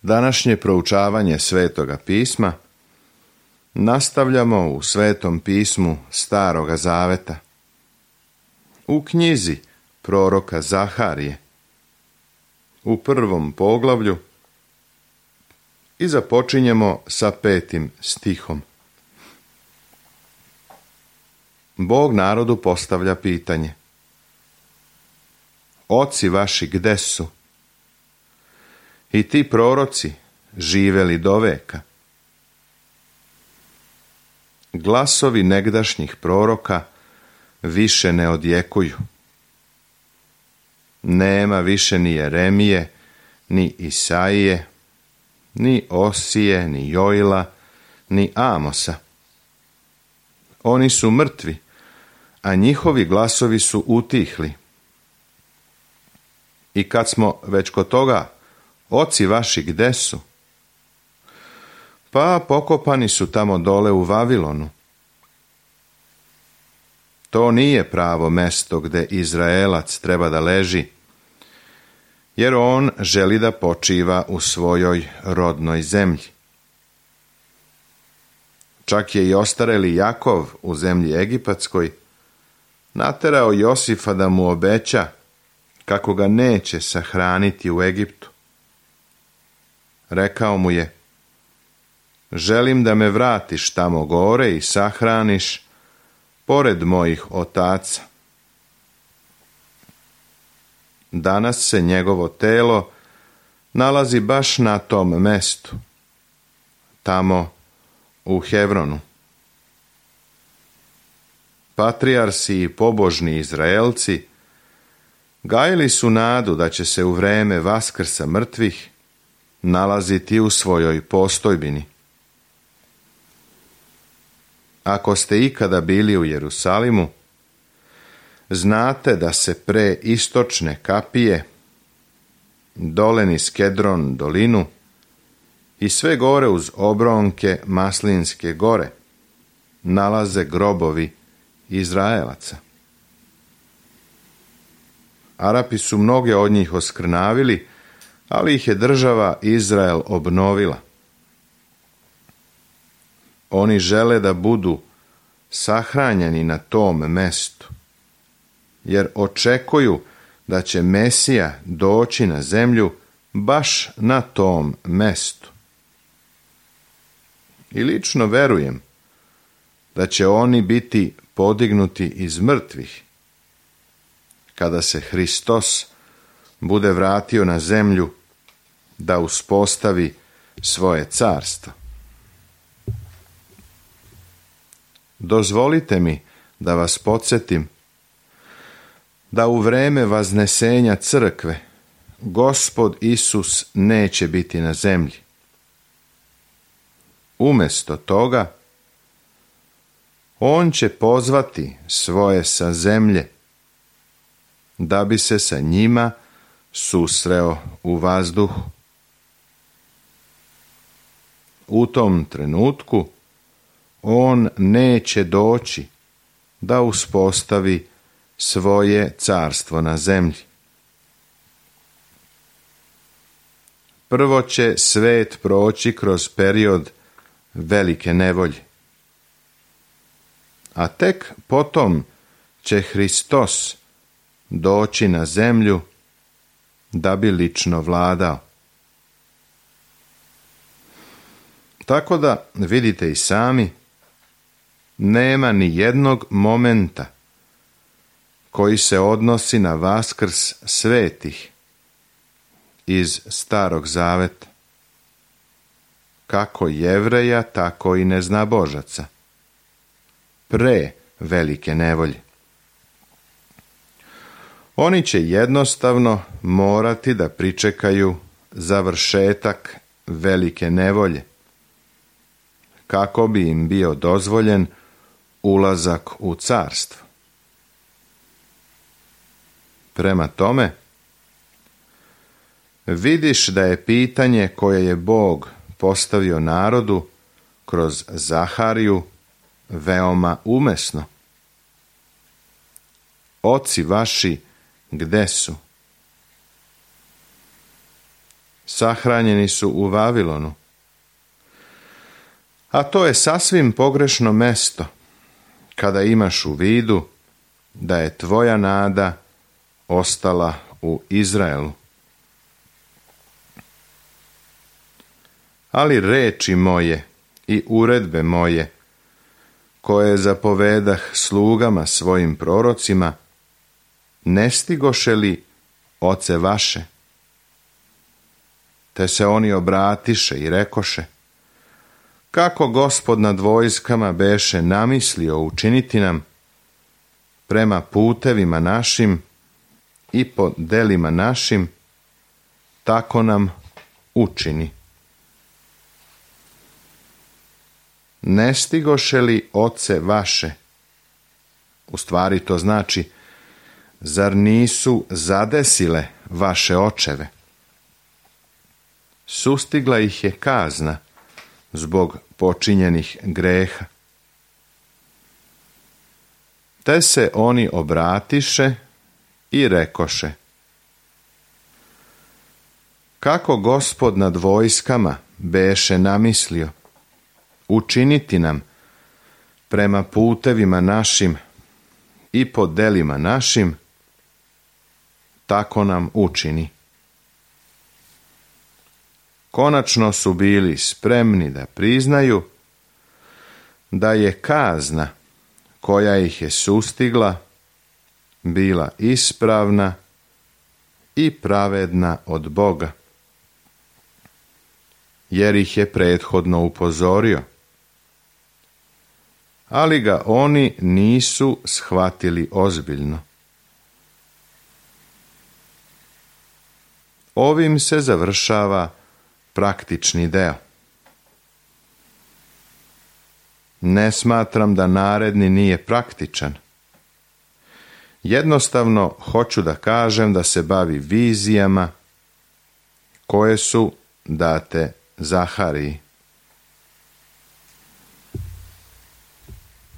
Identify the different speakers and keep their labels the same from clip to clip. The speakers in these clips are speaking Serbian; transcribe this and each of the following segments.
Speaker 1: Današnje proučavanje Svetoga pisma nastavljamo u Svetom pismu Staroga zaveta, u knjizi proroka Zaharije, u 1. poglavlju, i započinjemo sa 5. stihom. Bog narodu postavlja pitanje: Oci vaši gde su? I ti proroci živeli do veka? Glasovi negdašnjih proroka više ne odjekuju. Nema više ni Jeremije, ni Isaije, ni Osije, ni Joila, ni Amosa. Oni su mrtvi, a njihovi glasovi su utihli. I kad smo već kod toga, oci vaši gde su? Pa pokopani su tamo dole u Vavilonu. To nije pravo mesto gde Izraelac treba da leži, jer on želi da počiva u svojoj rodnoj zemlji. Čak je i ostareli Jakov u zemlji Egipatskoj naterao Josifa da mu obeća kako ga neće sahraniti u Egiptu. Rekao mu je: želim da me vratiš tamo gore i sahraniš pored mojih otaca. Danas se njegovo telo nalazi baš na tom mestu, tamo u Hevronu. Patrijarsi i pobožni Izraelci gajili su nadu da će se u vreme Vaskrsa mrtvih nalaziti u svojoj postojbini. Ako ste ikada bili u Jerusalimu, znate da se pre istočne kapije, dole niz Kedron dolinu i sve gore uz obronke Maslinske gore nalaze grobovi Izraelaca. Arapi su mnoge od njih oskrnavili, ali ih je država Izrael obnovila. Oni žele da budu sahranjeni na tom mestu, jer očekuju da će Mesija doći na zemlju baš na tom mestu. I lično verujem da će oni biti podignuti iz mrtvih kada se Hristos bude vratio na zemlju da uspostavi svoje carstvo. Dozvolite mi da vas podsjetim da u vreme vaznesenja crkve Gospod Isus neće biti na zemlji. Umjesto toga, on će pozvati svoje sa zemlje da bi se sa njima susreo u vazduhu. U tom trenutku on neće doći da uspostavi svoje carstvo na zemlji. Prvo će svet proći kroz period velike nevolje, a tek potom će Hristos doći na zemlju da bi lično vladao. Tako da vidite i sami, nema ni jednog momenta koji se odnosi na Vaskrs svetih iz Starog zaveta, kako Jevreja, tako i neznabožaca, pre velike nevolje. Oni će jednostavno morati da pričekaju završetak velike nevolje, kako bi im bio dozvoljen ulazak u carstvo. Prema tome, vidiš da je pitanje koje je Bog postavio narodu kroz Zahariju veoma umesno. Oci vaši gde su? sahranjeni su u Vavilonu. A to je sasvim pogrešno mesto, kada imaš u vidu da je tvoja nada ostala u Izraelu. Ali reči moje i uredbe moje, koje zapovedah slugama svojim prorocima, ne stigoše li, oce vaše? Te se oni obratiše i rekoše: kako Gospod nad vojskama beše namislio učiniti nam, prema putevima našim i po delima našim, tako nam učini. Ne stigoše li, oce vaše? U stvari to znači, zar nisu zadesile vaše očeve? Sustigla ih je kazna zbog počinjenih greha. Te se oni obratiše i rekoše: kako Gospod nad vojskama beše namislio učiniti nam, prema putevima našim i po delima našim, tako nam učini. Konačno su bili spremni da priznaju da je kazna koja ih je sustigla bila ispravna i pravedna od Boga, jer ih je prethodno upozorio, ali ga oni nisu shvatili ozbiljno. Ovim se završava praktični deo. Ne smatram da naredni nije praktičan. Jednostavno hoću da kažem da se bavi vizijama koje su date Zahariji.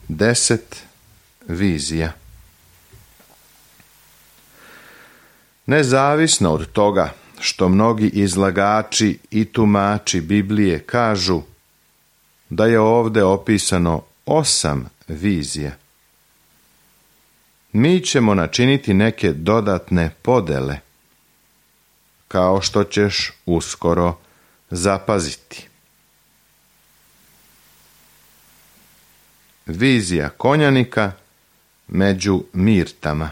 Speaker 1: 10 vizija. Nezavisno od toga što mnogi izlagači i tumači Biblije kažu da je ovdje opisano 8 vizija, mi ćemo načiniti neke dodatne podele, kao što ćeš uskoro zapaziti. Vizija konjanika među mirtama.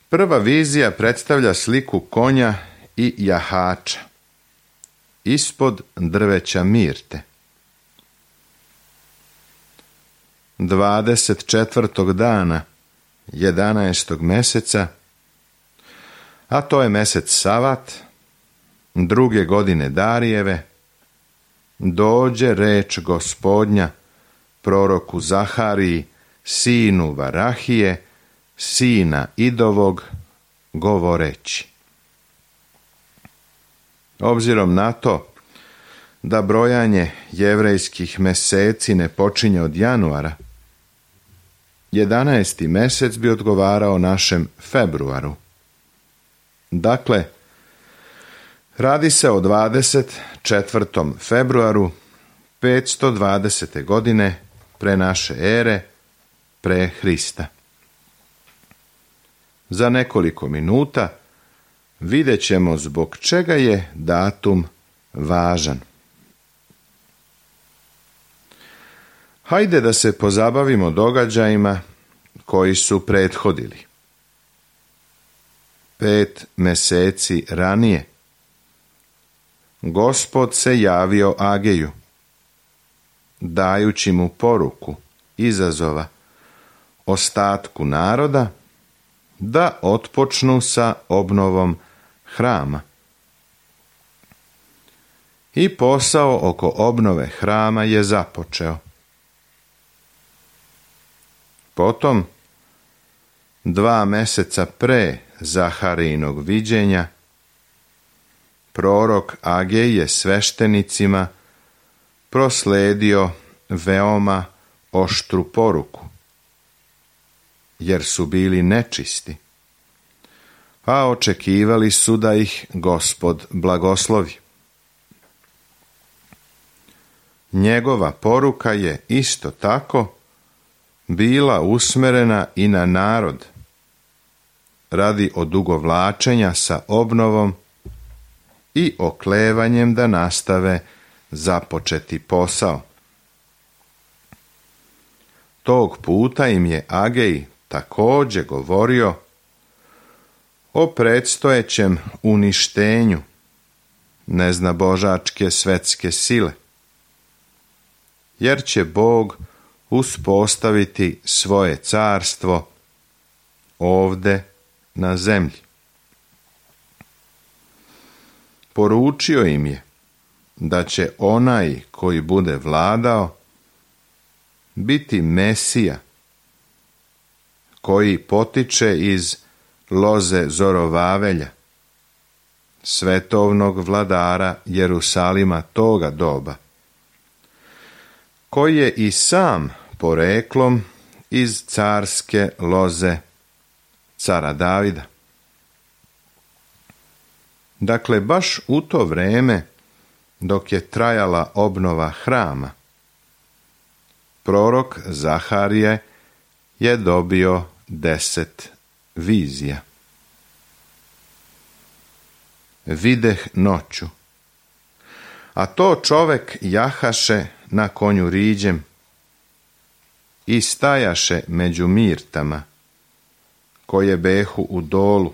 Speaker 1: Prva vizija predstavlja sliku konja i jahača ispod drveća mirte. 24. dana 11. meseca, a to je mesec Savat, 2. godine Darijeve, dođe reč Gospodnja proroku Zahariji, sinu Varahije, sina Idovog, govoreći: obzirom na to da brojanje jevrejskih meseci ne počinje od januara, 11. mesec bi odgovarao našem februaru. Dakle, radi se o 24. februaru 520. godine pre naše ere, pre Hrista. Za nekoliko minuta vidjet ćemo zbog čega je datum važan. Hajde da se pozabavimo događajima koji su prethodili. 5 meseci ranije Gospod se javio Ageju, dajući mu poruku izazova ostatku naroda da otpočnu sa obnovom hrama. I posao oko obnove hrama je započeo. Potom, 2 meseca pre Zaharijinog viđenja, prorok Agej je sveštenicima prosledio veoma oštru poruku, jer su bili nečisti. a očekivali su da ih Gospod blagoslovi. Njegova poruka je isto tako bila usmerena i na narod radi odugovlačenja sa obnovom i oklevanjem da nastave započeti posao. Tog puta im je Agej također govorio o predstojećem uništenju neznabožačke svetske sile, jer će Bog uspostaviti svoje carstvo ovde na zemlji. Poručio im je da će onaj koji bude vladao biti Mesija, koji potiče iz loze Zorovavelja, svetovnog vladara Jerusalima toga doba, koji je i sam poreklom iz carske loze cara Davida. Dakle, baš u to vreme, dok je trajala obnova hrama, prorok Zaharije je dobio 10 vizija. Videh noću, a to čovek jahaše na konju riđem i stajaše među mirtama, koje behu u dolu,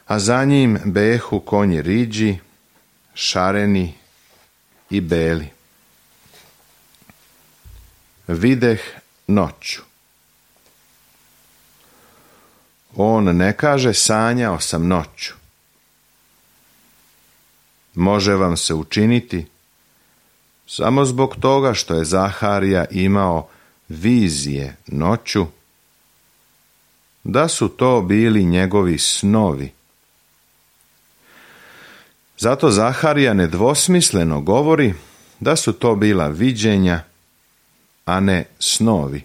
Speaker 1: a za njim behu konji riđi, šareni i beli. Videh noću. On ne kaže sanjao sam noću. Može vam se učiniti samo zbog toga što je Zaharija imao vizije noću, da su to bili njegovi snovi. Zato Zaharija nedvosmisleno govori da su to bila viđenja, a ne snovi.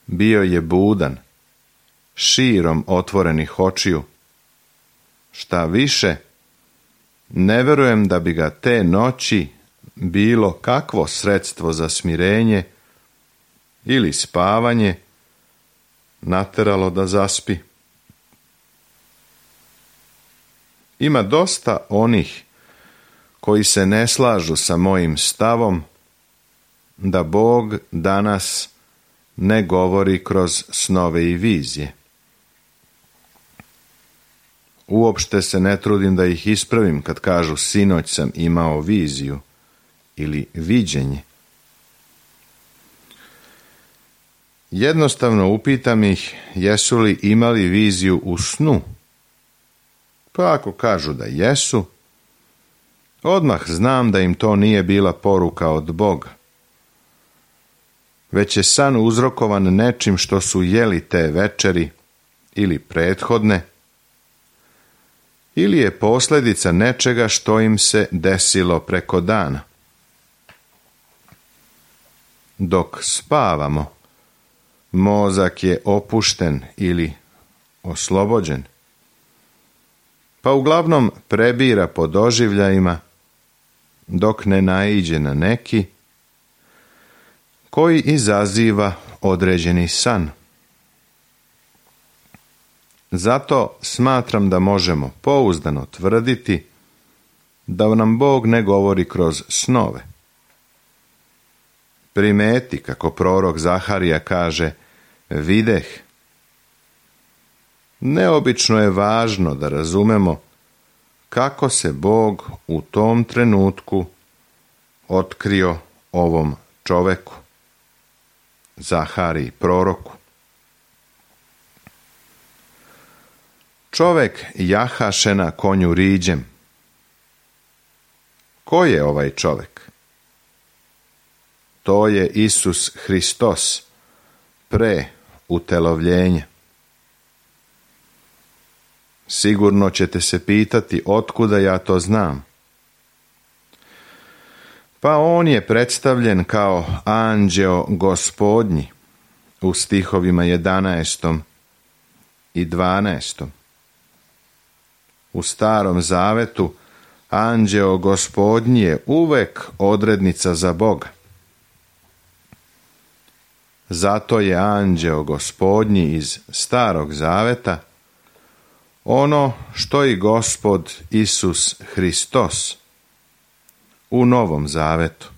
Speaker 1: Bio je budan, širom otvorenih očiju. Šta više, ne verujem da bi ga te noći bilo kakvo sredstvo za smirenje ili spavanje nateralo da zaspi. Ima dosta onih koji se ne slažu sa mojim stavom da Bog danas ne govori kroz snove i vizije. Uopšte se ne trudim da ih ispravim kad kažu sinoć sam imao viziju ili viđenje. Jednostavno upitam ih jesu li imali viziju u snu. Pa ako kažu da jesu, odmah znam da im to nije bila poruka od Boga, već je san uzrokovan nečim što su jeli te večeri ili prethodne, ili je posljedica nečega što im se desilo preko dana. Dok spavamo, mozak je opušten ili oslobođen, pa uglavnom prebira po doživljajima dok ne naiđe na neki koji izaziva određeni san. Zato smatram da možemo pouzdano tvrditi da nam Bog ne govori kroz snove. Primeti kako prorok Zaharija kaže videh. Neobično je važno da razumemo kako se Bog u tom trenutku otkrio ovom čoveku, Zahariji proroku. Čovek jahaše na konju riđem. Ko je ovaj čovek? To je Isus Hristos, pre utelovljenja. Sigurno ćete se pitati otkuda ja to znam. Pa on je predstavljen kao anđeo gospodnji u stihovima 11. i 12. U Starom Zavetu anđeo Gospodnji je uvek odrednica za Boga. Zato je anđeo Gospodnji iz Starog Zaveta ono što i Gospod Isus Hristos u Novom Zavetu.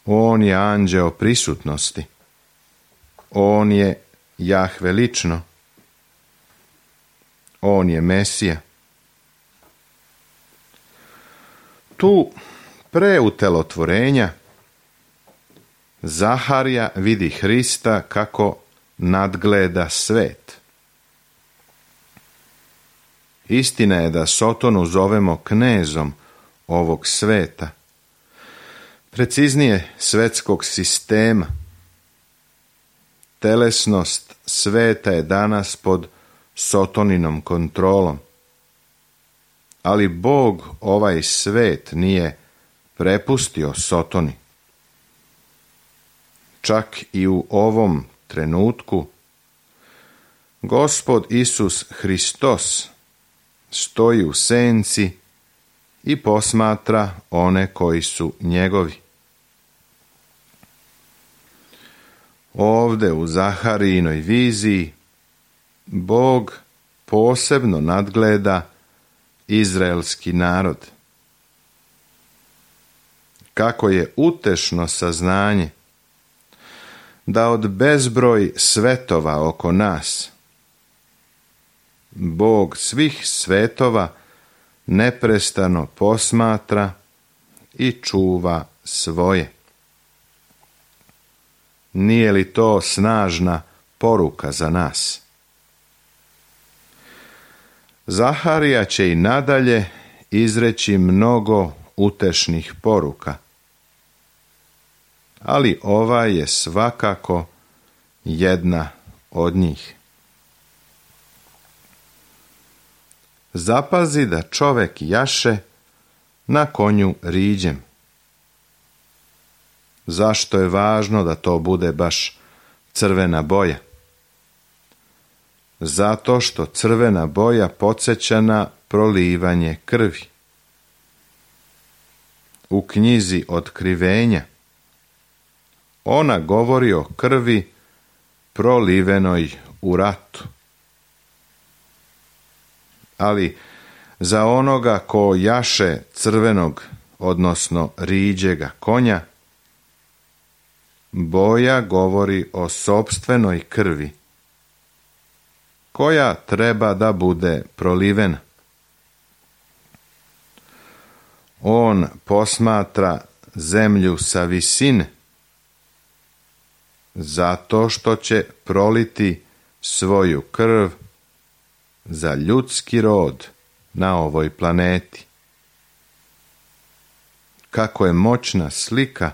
Speaker 1: On je anđeo prisutnosti. On je Jahve lično. On je Mesija. Tu pre utelotvorenja Zaharija vidi Hrista kako nadgleda svet. Istina je da Sotonu zovemo knezom ovog sveta, preciznije svetskog sistema. Telesnost sveta je danas pod Sotoninom kontrolom. Ali Bog ovaj svet nije prepustio Sotoni. Čak i u ovom trenutku Gospod Isus Hristos stoji u senci i posmatra one koji su njegovi. Ovde u Zaharijinoj viziji Bog posebno nadgleda izraelski narod. Kako je utešno saznanje da od bezbroj svetova oko nas Bog svih svetova neprestano posmatra i čuva svoje. Nije li to snažna poruka za nas? Zaharija će i nadalje izreći mnogo utešnih poruka, ali ova je svakako jedna od njih. Zapazi da čovek jaše na konju riđem. Zašto je važno da to bude baš crvena boja? Zato što crvena boja podsjeća na prolivanje krvi. U knjizi Otkrivenja ona govori o krvi prolivenoj u ratu. Ali za onoga ko jaše crvenog, odnosno riđega konja, boja govori o sopstvenoj krvi, koja treba da bude prolivena. On posmatra zemlju sa visine, zato što će proliti svoju krv za ljudski rod na ovoj planeti. Kako je moćna slika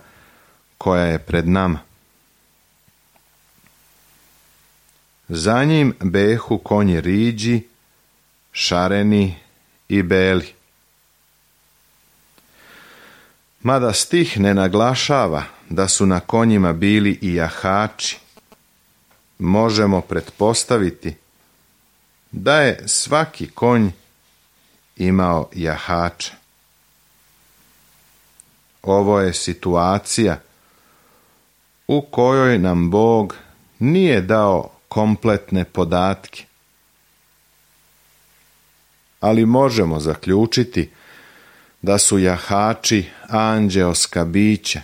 Speaker 1: koja je pred nama. Za njim behu konji riđi, šareni i beli. Mada stih ne naglašava da su na konjima bili i jahači, možemo pretpostaviti da je svaki konj imao jahača. Ovo je situacija u kojoj nam Bog nije dao kompletne podatke, ali možemo zaključiti da su jahači anđeoska bića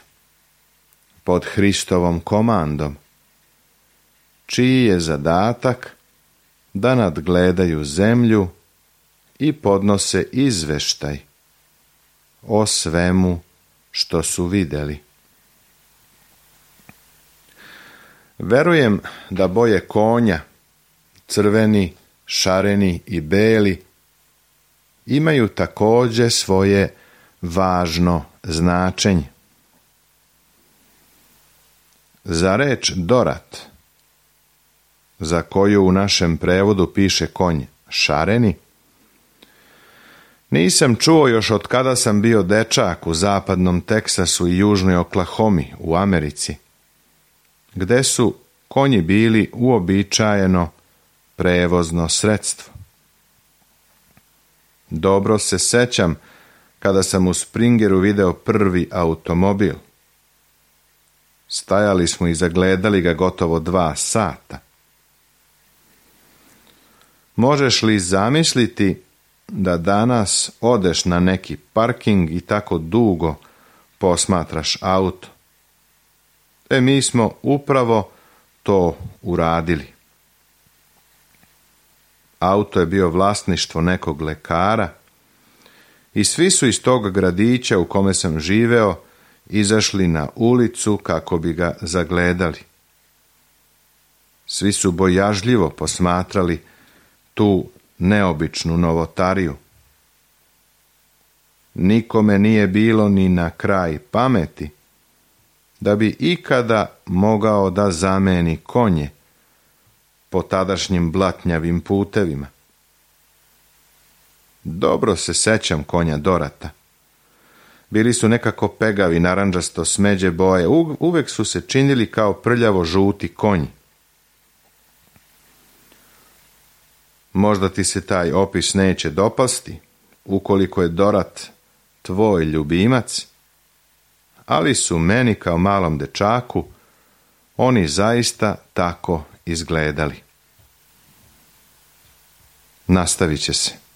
Speaker 1: pod Hristovom komandom, čiji je zadatak da nadgledaju zemlju i podnose izveštaj o svemu što su vidjeli. Verujem da boje konja, crveni, šareni i beli, imaju također svoje važno značenje. Za reč dorat, za koju u našem prevodu piše konj šareni, nisam čuo još od kada sam bio dečak u zapadnom Teksasu i južnoj Oklahomi u Americi, gde su konji bili uobičajeno prevozno sredstvo. Dobro se sećam kada sam u Springeru video prvi automobil. Stajali smo i zagledali ga gotovo 2 sata. Možeš li zamisliti da danas odeš na neki parking i tako dugo posmatraš auto? Mi smo upravo to uradili. Auto je bio vlasništvo nekog lekara i svi su iz tog gradića u kome sam živeo izašli na ulicu kako bi ga zagledali. Svi su bojažljivo posmatrali tu neobičnu novotariju. Nikome nije bilo ni na kraj pameti da bi ikada mogao da zameni konje po tadašnjim blatnjavim putevima. Dobro se sećam konja Dorata. Bili su nekako pegavi, narandžasto smeđe boje, uvek su se činili kao prljavo žuti konji. Možda ti se taj opis neće dopasti, ukoliko je Dorat tvoj ljubimac, ali su meni kao malom dečaku oni zaista tako izgledali. Nastavit će se.